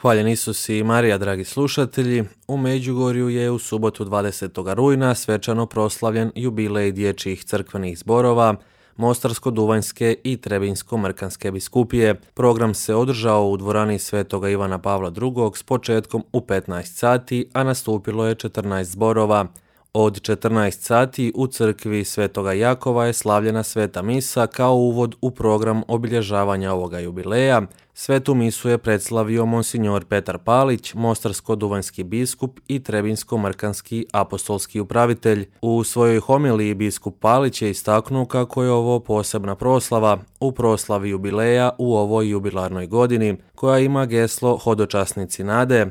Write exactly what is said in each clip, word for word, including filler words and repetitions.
Hvaljen Isus i Marija, dragi slušatelji. U Međugorju je u subotu dvadesetog rujna svečano proslavljen jubilej dječjih crkvenih zborova Mostarsko-duvanjske i Trebinjsko-mrkanske biskupije. Program se održao u dvorani Svetoga Ivana Pavla drugog s početkom u petnaest sati, a nastupilo je četrnaest zborova. Od četrnaest sati u crkvi Svetoga Jakova je slavljena sveta misa kao uvod u program obilježavanja ovoga jubileja. Svetu misu je predslavio monsinjor Petar Palić, mostarsko-duvanjski biskup i trebinjsko-mrkanski apostolski upravitelj. U svojoj homiliji biskup Palić je istaknuo kako je ovo posebna proslava u proslavi jubileja u ovoj jubilarnoj godini, koja ima geslo Hodočasnici nade,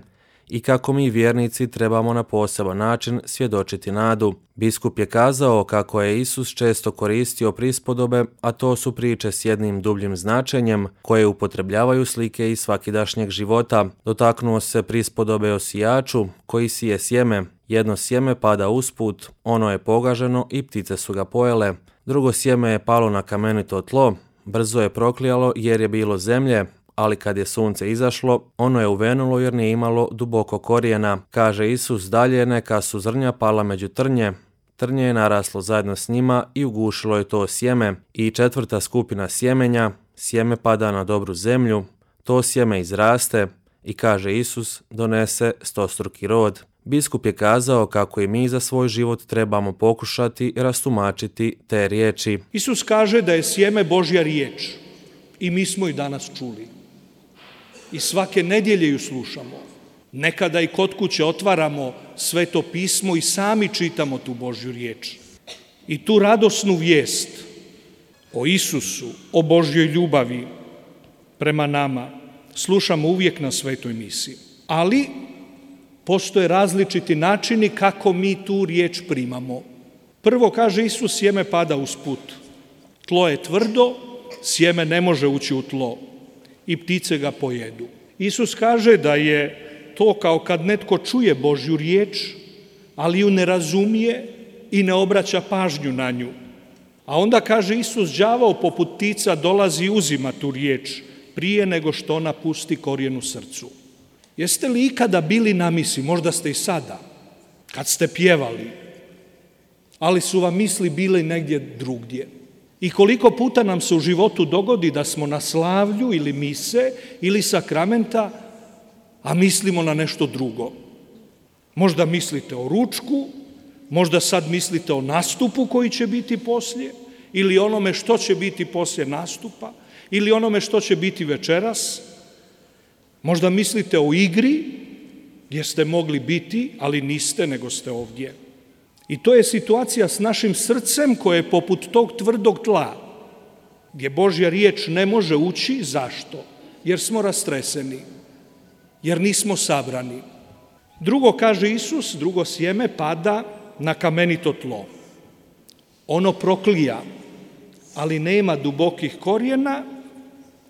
i kako mi vjernici trebamo na poseban način svjedočiti nadu. Biskup je kazao kako je Isus često koristio prispodobe, a to su priče s jednim dubljim značenjem koje upotrebljavaju slike iz svakidašnjeg života. Dotaknuo se prispodobe o sijaču koji sije sjeme. Jedno sjeme pada usput, ono je pogaženo i ptice su ga pojele. Drugo sjeme je palo na kamenito tlo, brzo je proklijalo jer je bilo zemlje, ali kad je sunce izašlo, ono je uvenulo jer nije imalo duboko korijena. Kaže Isus dalje, neka su zrnja pala među trnje. Trnje je naraslo zajedno s njima i ugušilo je to sjeme. I četvrta skupina sjemenja, sjeme pada na dobru zemlju, to sjeme izraste i, kaže Isus, donese stostruki rod. Biskup je kazao kako i mi za svoj život trebamo pokušati rastumačiti te riječi. Isus kaže da je sjeme Božja riječ i mi smo ju danas čuli. I svake nedjelje ju slušamo. Nekada i kod kuće otvaramo Sveto pismo i sami čitamo tu Božju riječ. I tu radosnu vijest o Isusu, o Božjoj ljubavi prema nama slušamo uvijek na Svetoj misi. Ali postoje različiti načini kako mi tu riječ primamo. Prvo, kaže Isus, sjeme pada usput. Tlo je tvrdo, sjeme ne može ući u tlo i ptice ga pojedu. Isus kaže da je to kao kad netko čuje Božju riječ, ali ju ne razumije i ne obraća pažnju na nju. A onda, kaže Isus, đavao poput ptica dolazi i uzima tu riječ prije nego što ona pusti korijen u srcu. Jeste li ikada bili na misi, možda ste i sada, kad ste pjevali, ali su vam misli bile negdje drugdje? I koliko puta nam se u životu dogodi da smo na slavlju ili mise ili sakramenta, a mislimo na nešto drugo. Možda mislite o ručku, možda sad mislite o nastupu koji će biti poslije, ili onome što će biti poslije nastupa, ili onome što će biti večeras. Možda mislite o igri gdje ste mogli biti, ali niste, nego ste ovdje. I to je situacija s našim srcem koje je poput tog tvrdog tla, gdje Božja riječ ne može ući. Zašto? Jer smo rastreseni, jer nismo sabrani. Drugo, kaže Isus, drugo sjeme pada na kamenito tlo. Ono proklija, ali nema dubokih korijena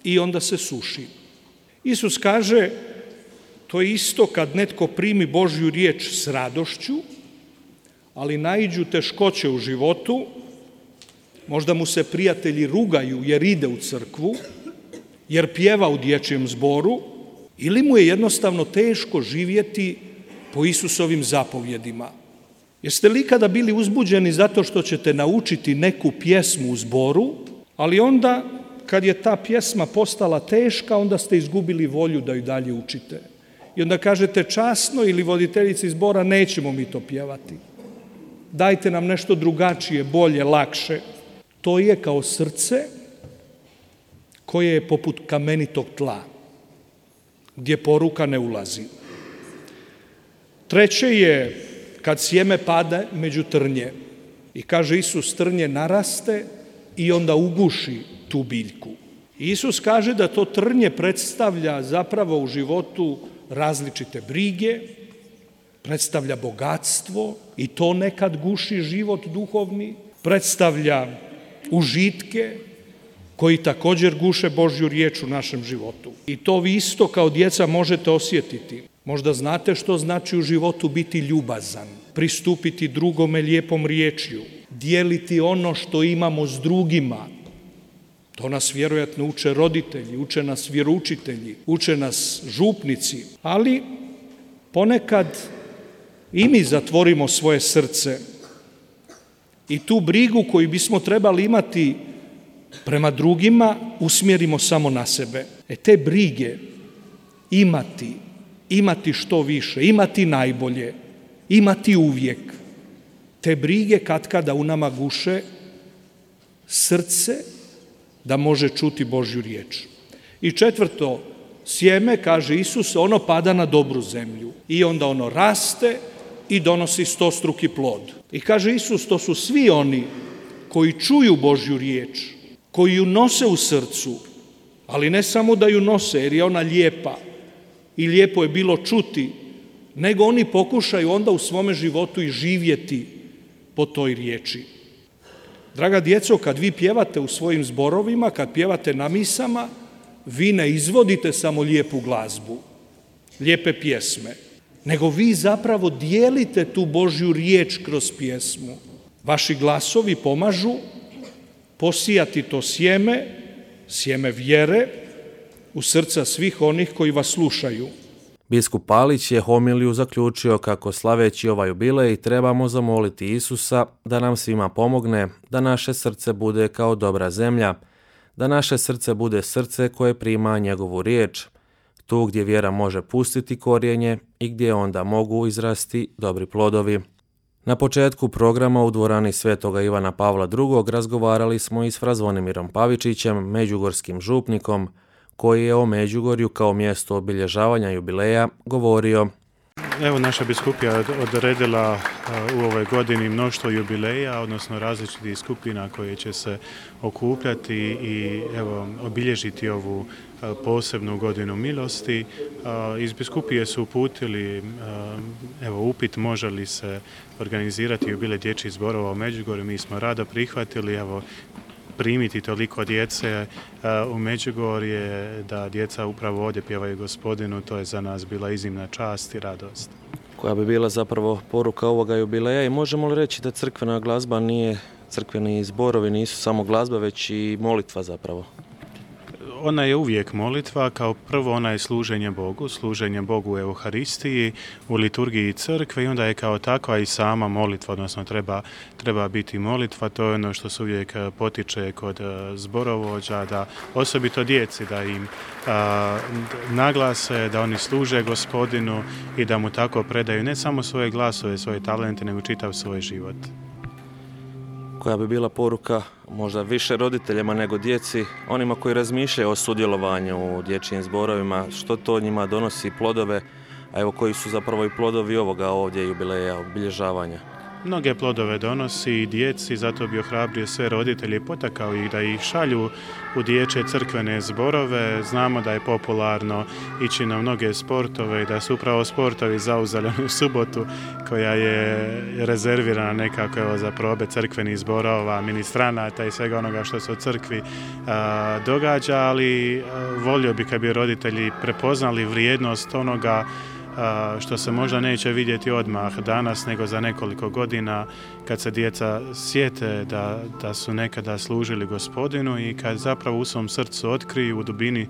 i onda se suši. Isus kaže, to je isto kad netko primi Božju riječ s radošću, ali naiđu teškoće u životu, možda mu se prijatelji rugaju jer ide u crkvu, jer pjeva u dječjem zboru, ili mu je jednostavno teško živjeti po Isusovim zapovjedima. Jeste li ikada bili uzbuđeni zato što ćete naučiti neku pjesmu u zboru, ali onda kad je ta pjesma postala teška, onda ste izgubili volju da ju dalje učite. I onda kažete časno ili voditeljici zbora, nećemo mi to pjevati. Dajte nam nešto drugačije, bolje, lakše. To je kao srce koje je poput kamenitog tla, gdje poruka ne ulazi. Treće je kad sjeme pada među trnje. I kaže Isus, trnje naraste i onda uguši tu biljku. Isus kaže da to trnje predstavlja zapravo u životu različite brige, predstavlja bogatstvo i to nekad guši život duhovni, predstavlja užitke koji također guše Božju riječ u našem životu. I to vi isto kao djeca možete osjetiti. Možda znate što znači u životu biti ljubazan, pristupiti drugome lijepom riječju, dijeliti ono što imamo s drugima, To nas vjerojatno uče roditelji, uče nas vjeroučitelji, uče nas župnici, ali ponekad i mi zatvorimo svoje srce i tu brigu koju bismo trebali imati prema drugima usmjerimo samo na sebe. E te brige imati, imati što više, imati najbolje, imati uvijek. Te brige katkada u nama guše srce da može čuti Božju riječ. I četvrto, sjeme, kaže Isus, ono pada na dobru zemlju i onda ono raste i donosi stostruki plod. I kaže Isus, to su svi oni koji čuju Božju riječ, koji ju nose u srcu, ali ne samo da ju nose jer je ona lijepa i lijepo je bilo čuti, nego oni pokušaju onda u svome životu i živjeti po toj riječi. Draga djeco, kad vi pjevate u svojim zborovima, kad pjevate na misama, vi ne izvodite samo lijepu glazbu, lijepe pjesme, nego vi zapravo dijelite tu Božju riječ kroz pjesmu. Vaši glasovi pomažu posijati to sjeme, sjeme vjere u srca svih onih koji vas slušaju. Biskup Palić je homiliju zaključio kako slaveći ovaj jubilej trebamo zamoliti Isusa da nam svima pomogne, da naše srce bude kao dobra zemlja, da naše srce bude srce koje prima njegovu riječ, tu gdje vjera može pustiti korijenje i gdje onda mogu izrasti dobri plodovi. Na početku programa u dvorani Svetoga Ivana Pavla drugog razgovarali smo i s fra Zvonimirom Pavičićem, međugorskim župnikom, koji je o Međugorju kao mjesto obilježavanja jubileja govorio. Evo, naša biskupija odredila u ovoj godini mnoštvo jubileja, odnosno različitih skupina koje će se okupljati i evo, obilježiti ovu posebnu godinu milosti. Iz biskupije su uputili evo, upit može li se organizirati jubilej dječjih zborova u Međugorju. Mi smo rado prihvatili, evo, primiti toliko djece u Međugorje, da djeca upravo ovdje pjevaju Gospodinu, to je za nas bila iznimna čast i radost. Koja bi bila zapravo poruka ovoga jubileja i možemo li reći da crkvena glazba nije, crkveni zborovi nisu samo glazba, već i molitva zapravo? Ona je uvijek molitva, kao prvo ona je služenje Bogu, služenje Bogu u Euharistiji, u liturgiji crkve i onda je kao takva i sama molitva, odnosno treba, treba biti molitva, to je ono što se uvijek potiče kod zborovođa, da osobito djeci da im a, naglase, da oni služe Gospodinu i da mu tako predaju ne samo svoje glasove, svoje talente, nego čitav svoj život. Koja bi bila poruka možda više roditeljima nego djeci, onima koji razmišljaju o sudjelovanju u dječjim zborovima, što to njima donosi plodove, a evo koji su zapravo i plodovi ovoga ovdje jubileja, obilježavanja? Mnoge plodove donosi i djeci, zato bi ohrabrio sve roditelje i potakao ih da ih šalju u dječje crkvene zborove. Znamo da je popularno ići na mnoge sportove i da su upravo sportovi zauzeli u subotu koja je rezervirana nekako evo, za probe crkvenih zborova, ministranata i svega onoga što se u crkvi a, događa, ali a, volio bi kad bi roditelji prepoznali vrijednost onoga što se možda neće vidjeti odmah danas, nego za nekoliko godina kad se djeca sjete da, da su nekada služili Gospodinu i kad zapravo u svom srcu otkriju, u dubini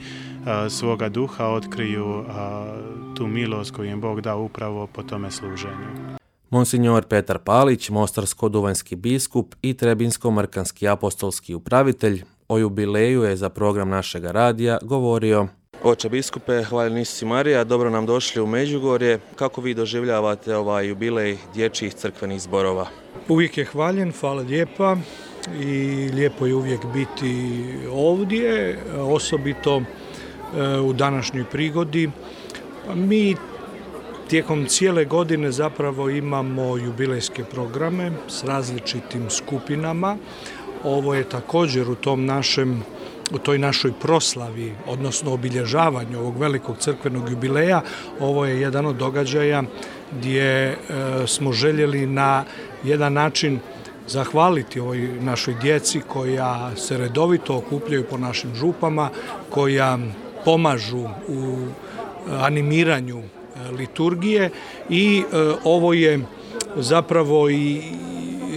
a, svoga duha otkriju a, tu milost koju im Bog dao upravo po tome služenju. Monsignor Petar Palić, mostarsko-duvanjski biskup i trebinsko-mrkanski apostolski upravitelj, o jubileju je za program našega radija govorio. Oče biskupe, hvaljeni Isus i Marija, dobro nam došli u Međugorje. Kako vi doživljavate ovaj jubilej dječjih crkvenih zborova? Uvijek je hvaljen, hvala lijepa i lijepo je uvijek biti ovdje, osobito u današnjoj prigodi. Mi tijekom cijele godine zapravo imamo jubilejske programe s različitim skupinama. Ovo je također u tom našem u toj našoj proslavi, odnosno obilježavanju ovog velikog crkvenog jubileja, ovo je jedan od događaja gdje e, smo željeli na jedan način zahvaliti ovoj našoj djeci koja se redovito okupljaju po našim župama, koja pomažu u animiranju liturgije i e, ovo je zapravo i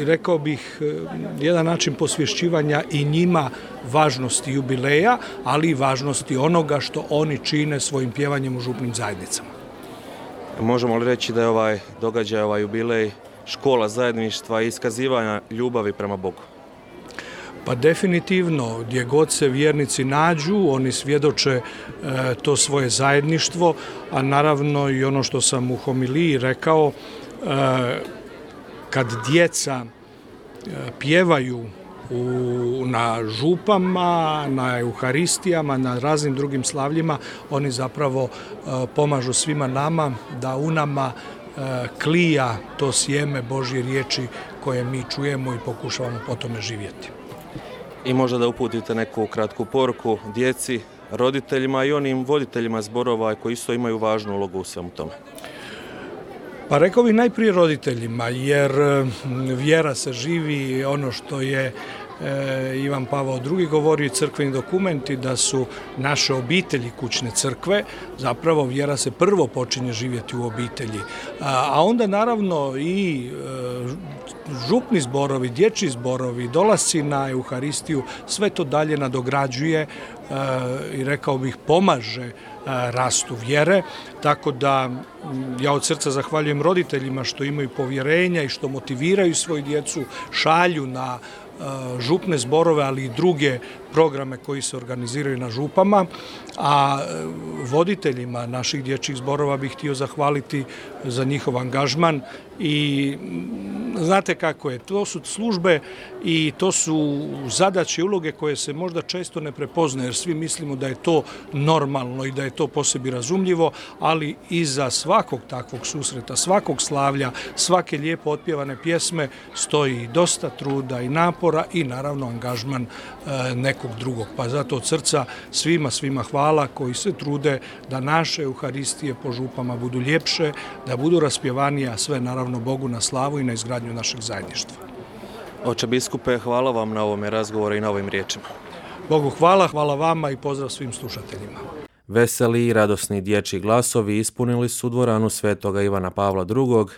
rekao bih, jedan način posvješćivanja i njima važnosti jubileja, ali i važnosti onoga što oni čine svojim pjevanjem u župnim zajednicama. Možemo li reći da je ovaj događaj, ovaj jubilej, škola zajedništva i iskazivanja ljubavi prema Bogu? Pa definitivno, gdje god se vjernici nađu, oni svjedoče e, to svoje zajedništvo, a naravno i ono što sam u homiliji rekao, e, kad djeca e, pjevaju u, na župama, na euharistijama, na raznim drugim slavljima, oni zapravo e, pomažu svima nama da u nama e, klija to sjeme Božje riječi koje mi čujemo i pokušavamo po tome živjeti. I možda da uputite neku kratku poruku djeci, roditeljima i onim voditeljima zborova koji isto imaju važnu ulogu u svemu tome. Pa rekao bih najprije roditeljima, jer vjera se živi, ono što je e, Ivan Pavao drugi govorio i crkveni dokumenti da su naše obitelji kućne crkve, zapravo vjera se prvo počinje živjeti u obitelji. A, a onda naravno i e, župni zborovi, dječji zborovi, dolasci na Euharistiju, sve to dalje nadograđuje e, i rekao bih pomaže e, rastu vjere, tako da ja od srca zahvaljujem roditeljima što imaju povjerenja i što motiviraju svoju djecu, šalju na župne zborove, ali i druge programe koji se organiziraju na župama, a voditeljima naših dječjih zborova bih htio zahvaliti za njihov angažman i znate kako je, to su službe i to su zadaće i uloge koje se možda često ne prepoznaje, jer svi mislimo da je to normalno i da je to po sebi razumljivo, ali iza svakog takvog susreta, svakog slavlja, svake lijepo otpjevane pjesme stoji dosta truda i napora i naravno angažman e, nekog drugog. Pa zato od srca svima, svima hvala koji se trude da naše euharistije po župama budu ljepše, da budu raspjevanije, a sve naravno Bogu na slavu i na izgradnju našeg zajedništva. Oče biskupe, hvala vam na ovome razgovoru i na ovim riječima. Bogu hvala, hvala vama i pozdrav svim slušateljima. Veseli i radosni dječji glasovi ispunili su dvoranu Svetoga Ivana Pavla drugog,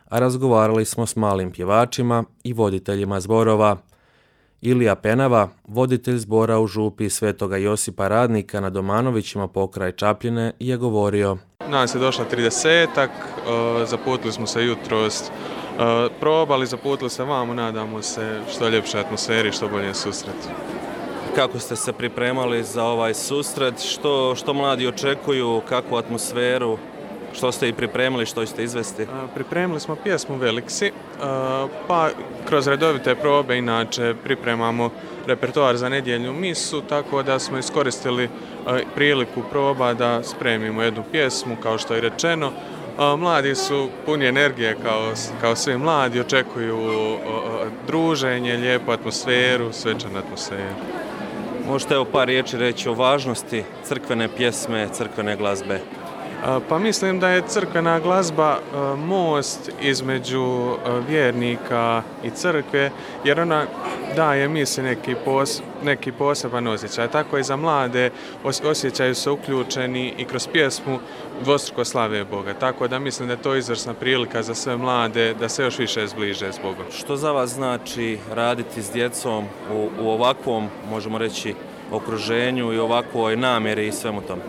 a razgovarali smo s malim pjevačima i voditeljima zborova. Ilija Penava, voditelj zbora u župi Svetoga Josipa Radnika na Domanovićima pokraj Čapljine, je govorio: Nas je došla tridesetak, zaputili smo se jutros, probali, zaputili se vamo, nadamo se što ljepše atmosferi, što bolje susret. Kako ste se pripremali za ovaj susret? Što, što mladi očekuju, kakvu atmosferu? Što ste i pripremili, što ćete izvesti? Pripremili smo pjesmu Veliksi, pa kroz redovite probe inače pripremamo repertoar za nedjeljnu misu, tako da smo iskoristili priliku proba da spremimo jednu pjesmu, kao što je rečeno. Mladi su puni energije kao, kao svi mladi, očekuju druženje, lijepu atmosferu, svečanu atmosferu. Možete evo par riječi reći o važnosti crkvene pjesme, crkvene glazbe? Pa mislim da je crkvena glazba most između vjernika i crkve, jer ona daje misli neki, pos, neki poseban osjećaj. Tako i za mlade osjećaju se uključeni i kroz pjesmu dvostruko slave Boga. Tako da mislim da je to izvrsna prilika za sve mlade da se još više zbliže s Bogom. Što za vas znači raditi s djecom u, u ovakvom, možemo reći, okruženju i ovakvoj namjeri i svemu tome?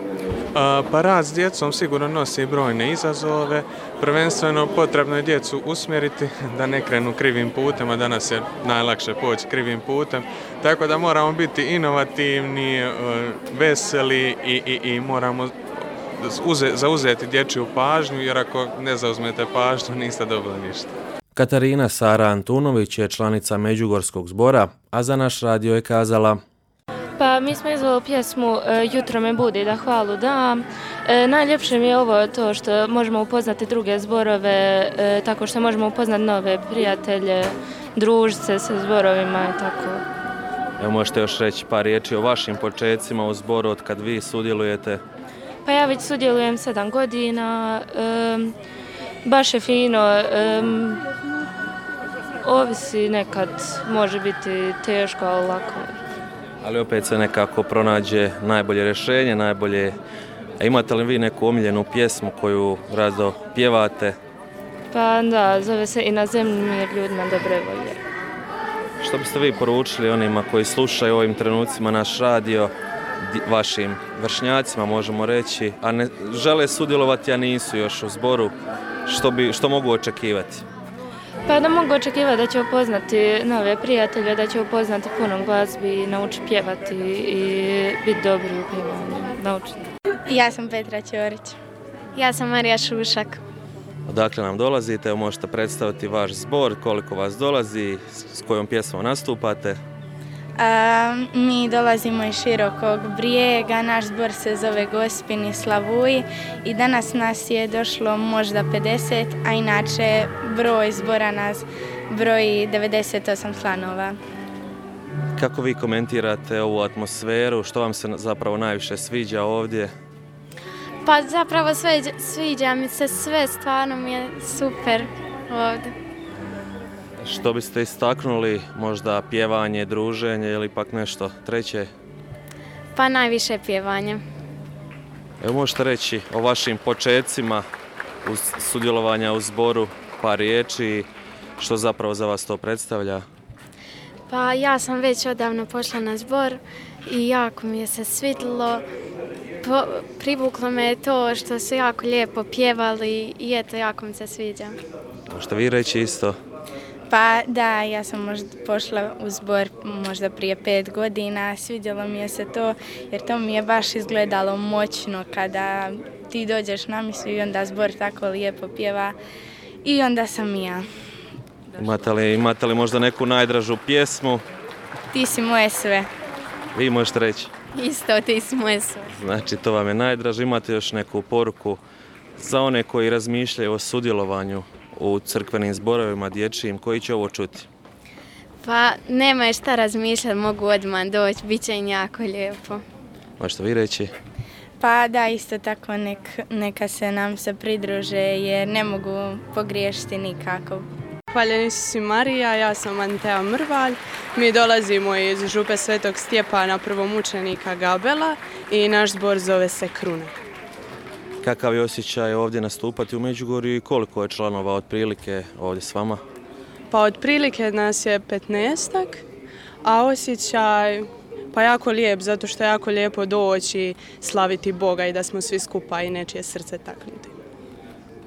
Pa rad s djecom sigurno nosi brojne izazove. Prvenstveno potrebno je djecu usmjeriti da ne krenu krivim putem, a danas je najlakše poći krivim putem. Tako da moramo biti inovativni, veseli i, i, i moramo uze, zauzeti dječju pažnju, jer ako ne zauzmete pažnju niste dobili ništa. Katarina Sara Antunović je članica Međugorskog zbora, a za naš radio je kazala: Pa mi smo izvali pjesmu Jutro me budi da hvalu dam. E, najljepše mi je ovo to što možemo upoznati druge zborove, e, tako što možemo upoznati nove prijatelje, družiti se sa zborovima i tako. Evo možete još reći par riječi o vašim počecima u zboru od kad vi sudjelujete? Pa ja već sudjelujem sedam godina, e, baš je fino, e, ovisi nekad, može biti teško, ali lako. Ali opet se nekako pronađe najbolje rješenje, najbolje. A imate li vi neku omiljenu pjesmu koju rado pjevate? Pa da, zove se I na zemlji mir ljudima dobre volje. Što biste vi poručili onima koji slušaju u ovim trenucima naš radio, vašim vršnjacima možemo reći, a ne žele sudjelovati, a nisu još u zboru, što, bi, što mogu očekivati? Pa da mogu očekivati da će upoznati nove prijatelje, da će upoznati puno glazbi, naučiti pjevati i biti dobri u pjevanju, naučiti. Ja sam Petra Ćorić. Ja sam Marija Šušak. Odakle nam dolazite, evo možete predstaviti vaš zbor, koliko vas dolazi, s kojom pjesmom nastupate? A, mi dolazimo iz Širokog Brijega, naš zbor se zove Gospini Slavuji i danas nas je došlo možda pedeset, a inače broj zbora nas broji devedeset osam članova. Kako vi komentirate ovu atmosferu, što vam se zapravo najviše sviđa ovdje? Pa zapravo sviđa, sviđa mi se sve, stvarno mi je super ovdje. Što biste istaknuli, možda pjevanje, druženje ili pak nešto treće? Pa najviše pjevanje. Evo možete reći o vašim počecima uz sudjelovanja u zboru, par riječi, što zapravo za vas to predstavlja? Pa ja sam već odavno pošla na zbor i jako mi je se svidjelo. Po, privuklo me to što su jako lijepo pjevali i eto, jako mi se sviđa. Možete vi reći isto? Pa da, ja sam možda pošla u zbor možda prije pet godina, svidjelo mi je se to jer to mi je baš izgledalo moćno kada ti dođeš na misu i onda zbor tako lijepo pjeva i onda sam i ja. Imate li, imate li možda neku najdražu pjesmu? Ti si moje sve. Vi možete reći? Isto, ti si moje sve. Znači, to vam je najdraže. Imate još neku poruku za one koji razmišljaju o sudjelovanju u crkvenim zborovima dječjim, koji će ovo čuti? Pa nema šta razmišljati, mogu odmah doći, bit će im jako lijepo. Možete vi reći? Pa da, isto tako nek, neka se nam se pridruže jer ne mogu pogriješiti nikako. Hvaljeni Isus i Marija, ja sam Antea Mrvalj. Mi dolazimo iz župe Svetog Stjepana, prvomučenika Gabela i naš zbor zove se Kruna. Kakav je osjećaj ovdje nastupati u Međugorju i koliko je članova otprilike ovdje s vama? Pa otprilike nas je petnaestak, a osjećaj pa jako lijep, zato što je jako lijepo doći, slaviti Boga i da smo svi skupa i nečije srce taknuti.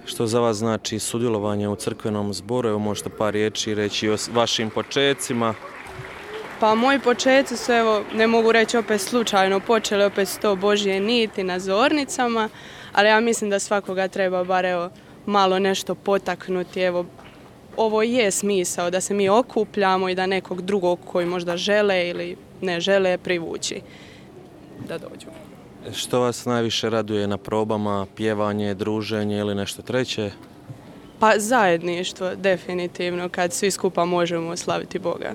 Što za vas znači sudjelovanje u crkvenom zboru? Evo možete par riječi reći o vašim počecima. Pa moji počeci su, evo, ne mogu reći opet slučajno, počeli opet s to Božje niti na zornicama, ali ja mislim da svakoga treba bar evo, malo nešto potaknuti. Evo, ovo je smisao da se mi okupljamo i da nekog drugog koji možda žele ili ne žele privući da dođu. Što vas najviše raduje na probama, pjevanje, druženje ili nešto treće? Pa zajedništvo, definitivno, kad svi skupa možemo slaviti Boga.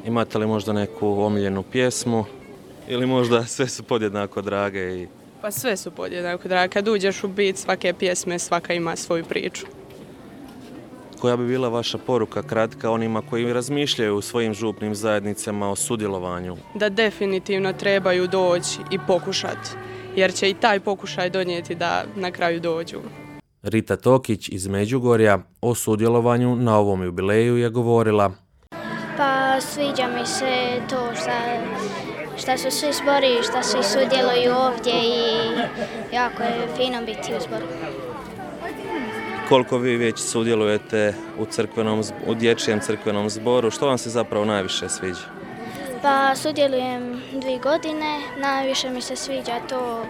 Imate li možda neku omiljenu pjesmu ili možda sve su podjednako drage? I... Pa sve su podjednako drage. Kad uđeš u bit svake pjesme, svaka ima svoju priču. Koja bi bila vaša poruka kratka onima koji razmišljaju u svojim župnim zajednicama o sudjelovanju? Da definitivno trebaju doći i pokušati, jer će i taj pokušaj donijeti da na kraju dođu. Rita Tokić iz Međugorja o sudjelovanju na ovom jubileju je govorila. Pa sviđa mi se to što su svi zbori, što svi sudjeluju ovdje i jako je fino biti u zboru. Koliko vi već sudjelujete u, crkvenom, u dječjem crkvenom zboru, što vam se zapravo najviše sviđa? Pa sudjelujem dvije godine, najviše mi se sviđa to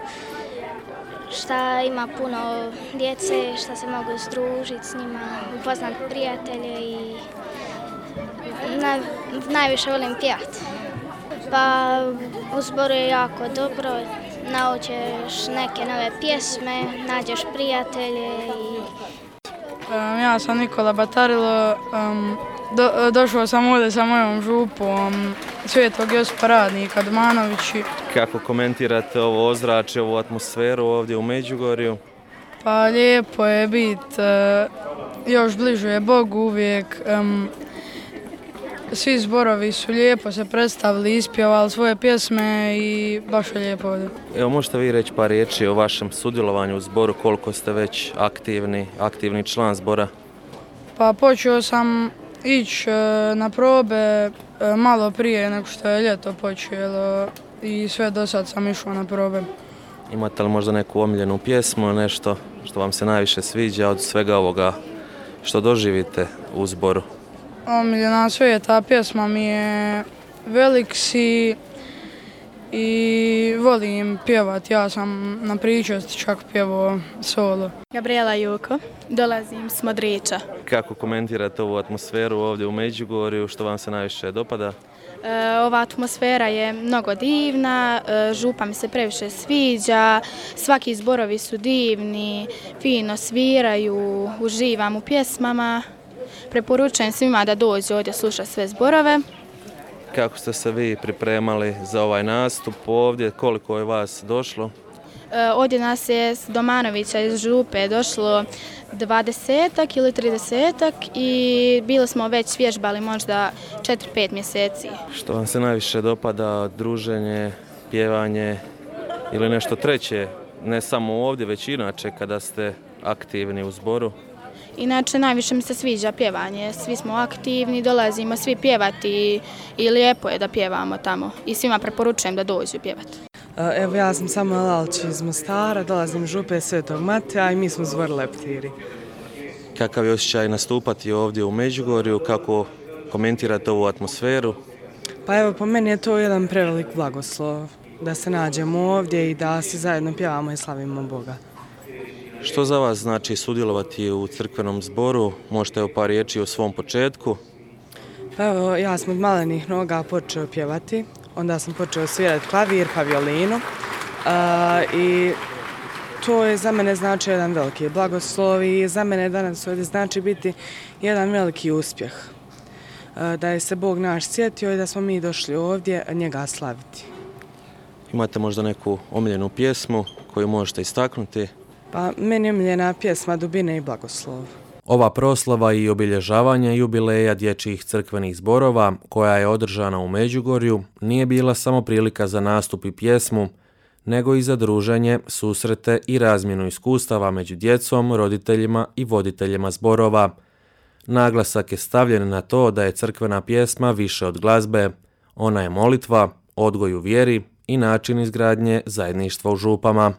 što ima puno djece, što se mogu združiti s njima, upoznati prijatelje i na, najviše volim pjevati. Pa u zboru je jako dobro, naučiš neke nove pjesme, nađeš prijatelje i Um, ja sam Nikola Batarilo, um, do, došao sam ovdje sa mojom župom Svetog Josipa Radnika Domanovići. Kako komentirate ovo ozračje, ovu atmosferu ovdje u Međugorju? Pa lijepo je biti, uh, još bliže je Bogu uvijek. Um, svi zborovi su lijepo se predstavili, ispjevali svoje pjesme i baš je lijepo ovdje. Evo možete vi reći par riječi o vašem sudjelovanju u zboru, koliko ste već aktivni, aktivni član zbora? Pa počeo sam ići na probe malo prije nego što je ljeto počelo i sve do sad sam išao na probe. Imate li možda neku omiljenu pjesmu, nešto što vam se najviše sviđa od svega ovoga što doživite u zboru? Omiljena svijeta pjesma mi je Velik si i volim pjevat. Ja sam na pričesti čak pjevao solo. Gabriela Juko, dolazim s Modrića. Kako komentirate ovu atmosferu ovdje u Međugorju, što vam se najviše dopada? E, ova atmosfera je mnogo divna, e, župa mi se previše sviđa, svaki zborovi su divni, fino sviraju, uživam u pjesmama. Preporučujem svima da dođu ovdje slušati sve zborove. Kako ste se vi pripremali za ovaj nastup ovdje, koliko je vas došlo? E, ovdje nas je s Domanovića iz župe došlo dvadesetak ili tridesetak i bili smo već vježbali možda četiri pet mjeseci. Što vam se najviše dopada, druženje, pjevanje ili nešto treće, ne samo ovdje, već inače kada ste aktivni u zboru? Inače, najviše mi se sviđa pjevanje. Svi smo aktivni, dolazimo svi pjevati i lijepo je da pjevamo tamo. I svima preporučujem da dođu pjevati. Evo, ja sam Samuel Alčić iz Mostara, dolazim iz župe Svetog Mateja i mi smo zbor Leptiri. Kakav je osjećaj nastupati ovdje u Međugorju, kako komentirate ovu atmosferu? Pa evo, po meni je to jedan prevelik blagoslov, da se nađemo ovdje i da svi zajedno pjevamo i slavimo Boga. Što za vas znači sudjelovati u crkvenom zboru? Možete u par riječi o svom početku? Pa evo, ja sam od malenih noga počeo pjevati, onda sam počeo svirati klavir pa violinu uh, i to je za mene znači jedan veliki blagoslov i za mene danas ovdje znači biti jedan veliki uspjeh. Uh, da je se Bog naš sjetio i da smo mi došli ovdje njega slaviti. Imate možda neku omiljenu pjesmu koju možete istaknuti? Pa meni je omiljena pjesma Dubine i blagoslov. Ova proslava i obilježavanje jubileja dječjih crkvenih zborova, koja je održana u Međugorju, nije bila samo prilika za nastup i pjesmu, nego i za druženje, susrete i razmjenu iskustava među djecom, roditeljima i voditeljima zborova. Naglasak je stavljen na to da je crkvena pjesma više od glazbe. Ona je molitva, odgoj u vjeri i način izgradnje zajedništva u župama.